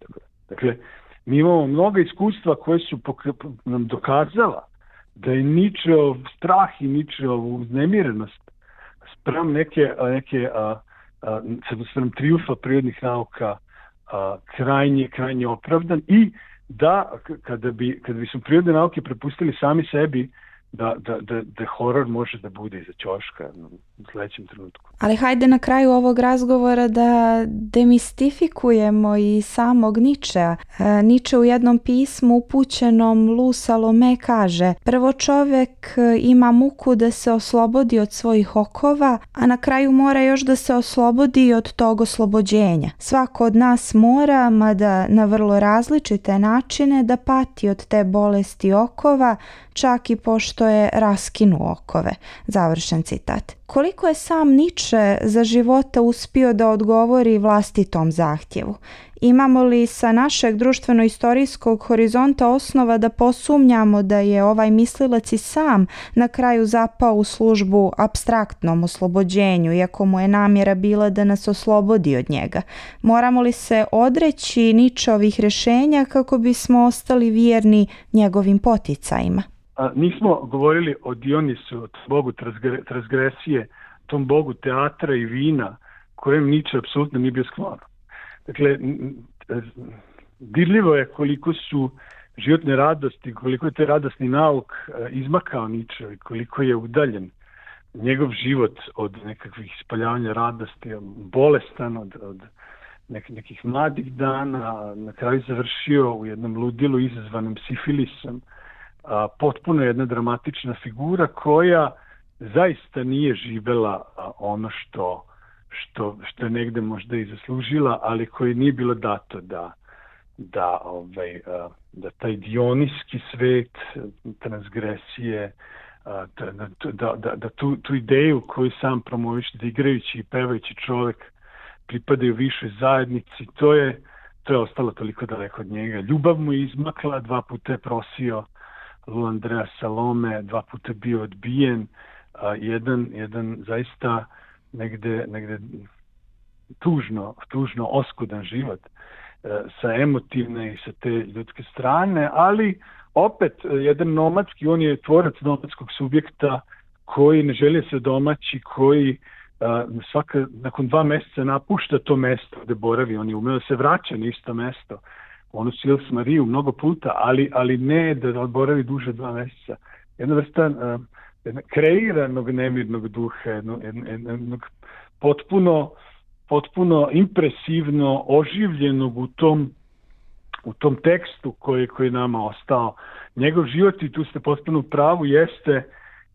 Dakle, mi imamo mnoga iskustva koje su pok- nam dokazala da je Nietzscheov strah i Nietzscheov uznemirenost sprem neke, neke a, a, sprem triumfa prirodnih nauka a, krajnje, krajnje opravdan i da kada bi, kada bi su prirodne nauke prepustili sami sebi, da, da, da, da horor može da bude iza ćoška u sledećem trenutku. Ali hajde na kraju ovog razgovora da demistifikujemo i samog Nietzschea. E, Nietzsche u jednom pismu upućenom Lu Salome kaže: prvo čovjek ima muku da se oslobodi od svojih okova, a na kraju mora još da se oslobodi od tog oslobođenja. Svako od nas mora, mada na vrlo različite načine, da pati od te bolesti okova, čak i pošto je raskinuo okove. Završen citat. Koliko je sam Nietzsche za života uspio da odgovori vlastitom zahtjevu? Imamo li sa našeg društveno-istorijskog horizonta osnova da posumnjamo da je ovaj mislilac i sam na kraju zapao u službu apstraktnom oslobođenju, iako mu je namjera bila da nas oslobodi od njega? Moramo li se odreći Nietzscheovih rješenja kako bismo ostali vjerni njegovim poticajima? A, nismo govorili o Dionisu, bogu transgresije, tom bogu teatra i vina, kojem Nietzsche apsolutno nije bio sklon. Dakle, dirljivo je koliko su životne radosti, koliko je te radosni nauk izmakao Ničevi, koliko je udaljen njegov život od nekakvih ispoljavanja radosti, bolestan od, od nek, nekih mladih dana, na kraju završio u jednom ludilu izazvanom sifilisom. A, potpuno jedna dramatična figura koja zaista nije živela a, ono što, što, što je negde možda i zaslužila, ali koji nije bilo dato da, da, ovaj, a, da taj dionijski svet, transgresije, a, da, da, da, da tu, tu ideju koju sam promoviše, da igrajući i pevajući čovjek pripadaju višoj zajednici, to je, to je ostalo toliko daleko od njega. Ljubav mu je izmakla, dva puta je prosio Lu Andrea Salome, dva puta je bio odbijen, a, jedan, jedan zaista negde, negde tužno, tužno oskudan život a, sa emotivne i sa te ljudske strane, ali opet jedan nomadski, on je tvorac nomadskog subjekta koji ne želi se domaći, koji Uh, svaka, nakon dva mjeseca napušta to mesto gde boravi, on je umeo se vraća na isto mesto, onu Sils Mariju mnogo puta, ali, ali ne da boravi duže dva mjeseca. Jedna vrsta uh, jedna kreiranog nemirnog duha, jednog, jednog potpuno, potpuno impresivno oživljenog u tom, u tom tekstu koji, koji nama ostao. Njegov život, i tu ste potpuno u pravu, jeste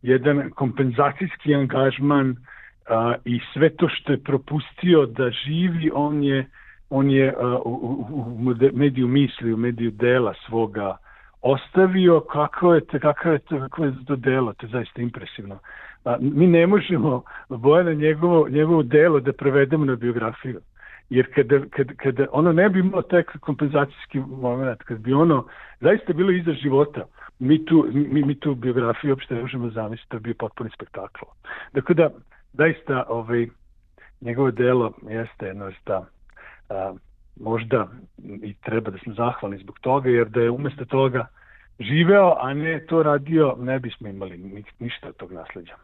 jedan kompenzacijski angažman. Uh, i sve to što je propustio da živi, on je, on je uh, u, u, u mediju misli, u mediju dela svoga ostavio. Kako je to, kako je to, kako je to delo, to je zaista impresivno. Uh, mi ne možemo Bojana njegovo, njegovo delo da prevedemo na biografiju, jer kada, kada, kada ono ne bi imalo taj kompenzacijski moment, kada bi ono zaista bilo iza života, mi tu, mi, mi tu biografiju uopšte ne možemo zamisliti, to bi bio potpuni spektakl. Dakle da, zaista ovaj, njegovo delo jeste jedna vrsta, a, možda i treba da smo zahvalni zbog toga, jer da je umjesto toga živeo, a ne to radio, ne bismo imali ni, ništa od tog nasljeđa.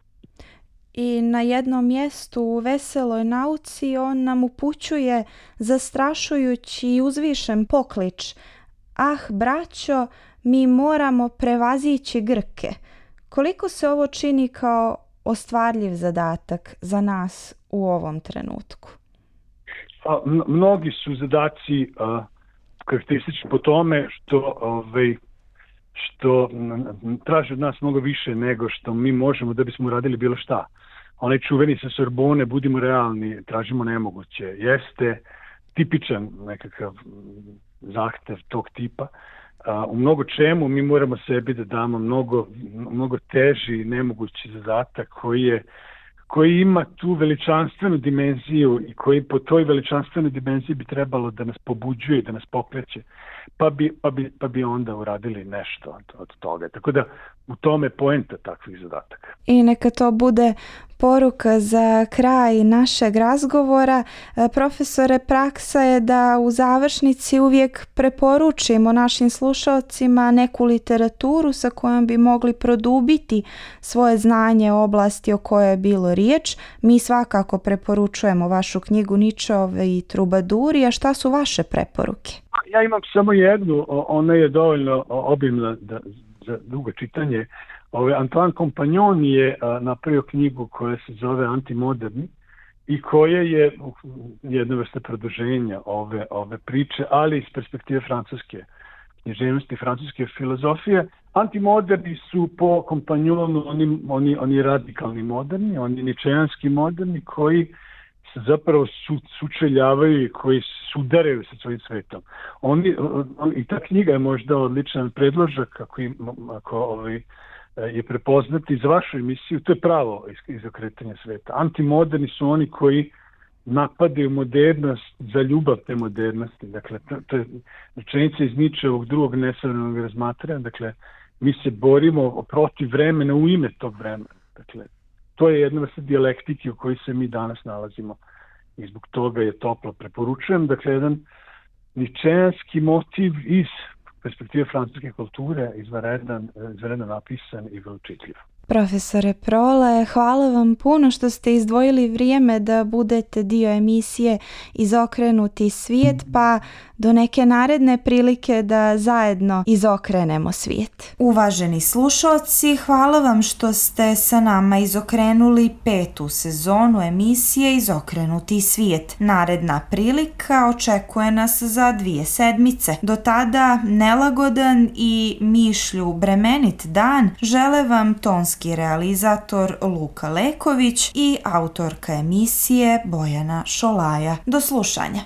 I na jednom mjestu u Veseloj nauci on nam upućuje zastrašujući i uzvišen poklič: ah, braćo, mi moramo prevazići Grke. Koliko se ovo čini kao ostvarljiv zadatak za nas u ovom trenutku? A, mnogi su zadaci a, karakteristični po tome što, ovaj, što traže od nas mnogo više nego što mi možemo da bismo uradili bilo šta. Onaj čuveni sa Sorbone, budimo realni, tražimo nemoguće, jeste tipičan nekakav zahtev tog tipa. Uh, u mnogo čemu mi moramo sebi da damo mnogo, mnogo teži, nemogući zadatak koji, je, koji ima tu veličanstvenu dimenziju i koji po toj veličanstvenoj dimenziji bi trebalo da nas pobuđuje, da nas pokreće, pa bi, pa bi, pa bi onda uradili nešto od, od toga. Tako da u tome je poenta takvih zadataka. I neka to bude poruka za kraj našeg razgovora. Profesore, praksa je da u završnici uvijek preporučimo našim slušalcima neku literaturu sa kojom bi mogli produbiti svoje znanje o oblasti o kojoj je bilo riječ. Mi svakako preporučujemo vašu knjigu Ničeovi i trubaduri, a šta su vaše preporuke? Ja imam samo jednu, ona je dovoljno obimna da, za dugo čitanje. Ove, Antoine Compagnon je a, napravio knjigu koja se zove Antimoderni i koja je jedna vrsta produženja ove, ove priče, ali iz perspektive francuske književnosti, francuske filozofije. Antimoderni su po Compagnonu oni, oni, oni radikalni moderni, oni ničejanski moderni koji se zapravo su, sučeljavaju i koji sudaraju sa svojim svetom. Oni, on, I ta knjiga je možda odličan predložak ako, im, ako ovaj, je prepoznati za vašu emisiju, to je pravo izokretanje sveta. Antimoderni su oni koji napadaju modernost za ljubav te modernosti. Dakle, to, to je rečenica iz Ničeovog drugog nesavremenog razmatranja. Dakle, mi se borimo protiv vremena u ime tog vremena. Dakle, to je jedna vrsta dijalektike u kojoj se mi danas nalazimo i zbog toga je toplo preporučujem. Dakle, jedan ničejanski motiv iz perspektive francuske kulture, izvanredno napisan i vrlo čitljiv. Profesore Prole, hvala vam puno što ste izdvojili vrijeme da budete dio emisije Izokrenuti svijet, pa do neke naredne prilike da zajedno izokrenemo svijet. Uvaženi slušalci, hvala vam što ste sa nama izokrenuli petu sezonu emisije Izokrenuti svijet. Naredna prilika očekuje nas za dvije sedmice. Do tada nelagodan i mišlju bremenit dan žele vam tonski realizator Luka Leković i autorka emisije Bojana Šolaja. Do slušanja.